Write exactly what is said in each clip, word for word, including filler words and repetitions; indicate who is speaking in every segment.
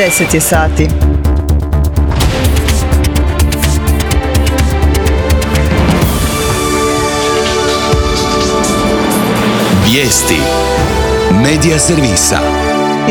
Speaker 1: deset je sati.
Speaker 2: Vijesti Medija servisa.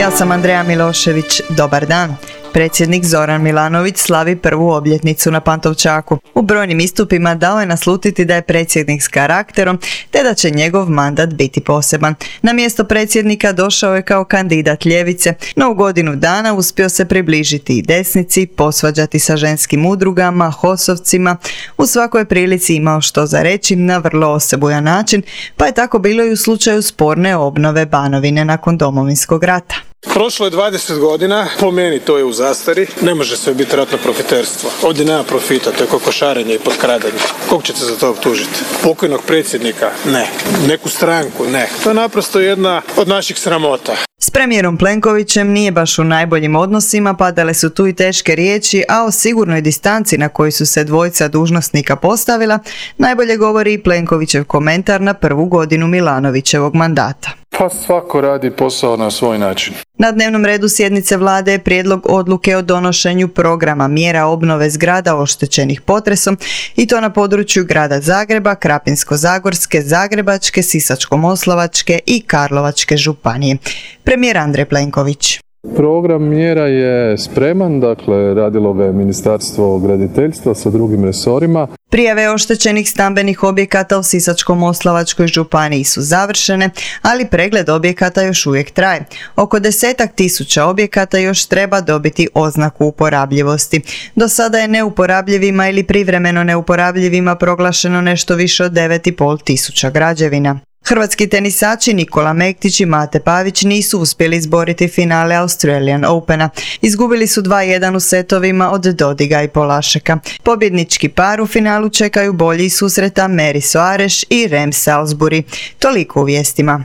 Speaker 1: Ja sam Andreja Milošević. Dobar dan. Predsjednik Zoran Milanović slavi prvu obljetnicu na Pantovčaku. U brojnim istupima dao je naslutiti da je predsjednik s karakterom, te da će njegov mandat biti poseban. Na mjesto predsjednika došao je kao kandidat ljevice, no u godinu dana uspio se približiti i desnici, posvađati sa ženskim udrugama, hosovcima. U svakoj prilici imao što za reći na vrlo osebujan način, pa je tako bilo i u slučaju sporne obnove Banovine nakon Domovinskog rata.
Speaker 3: Prošlo je dvadeset godina, po meni to je u zastari, ne može sve biti ratno profiterstvo. Ovdje nema profita, to je kokošarenje i potkradanje. Kog ćete za to optužiti? Pokojnog predsjednika? Ne. Neku stranku? Ne. To je naprosto jedna od naših sramota.
Speaker 1: S premijerom Plenkovićem nije baš u najboljim odnosima, padale su tu i teške riječi, a o sigurnoj distanci na koju su se dvojica dužnosnika postavila, najbolje govori i Plenkovićev komentar na prvu godinu Milanovićevog mandata.
Speaker 4: Pa svako radi posao na svoj način.
Speaker 1: Na dnevnom redu sjednice vlade je prijedlog odluke o donošenju programa mjera obnove zgrada oštećenih potresom i to na području grada Zagreba, Krapinsko-zagorske, Zagrebačke, Sisačko-moslavačke i Karlovačke županije. Premijer Andrej Plenković.
Speaker 4: Program mjera je spreman, dakle radilo ga je Ministarstvo graditeljstva sa drugim resorima.
Speaker 1: Prijave oštećenih stambenih objekata u Sisačko-moslavačkoj županiji su završene, ali pregled objekata još uvijek traje. Oko desetak tisuća objekata još treba dobiti oznaku uporabljivosti. Do sada je neuporabljivima ili privremeno neuporabljivima proglašeno nešto više od devet i pol tisuća građevina. Hrvatski tenisači Nikola Mektić i Mate Pavić nisu uspjeli izboriti finale Australian Opena. Izgubili su dva jedan u setovima od Dodiga i Polašeka. Pobjednički par u finalu čekaju bolji susreta Mary Soares i Rem Salisbury. Toliko u vijestima.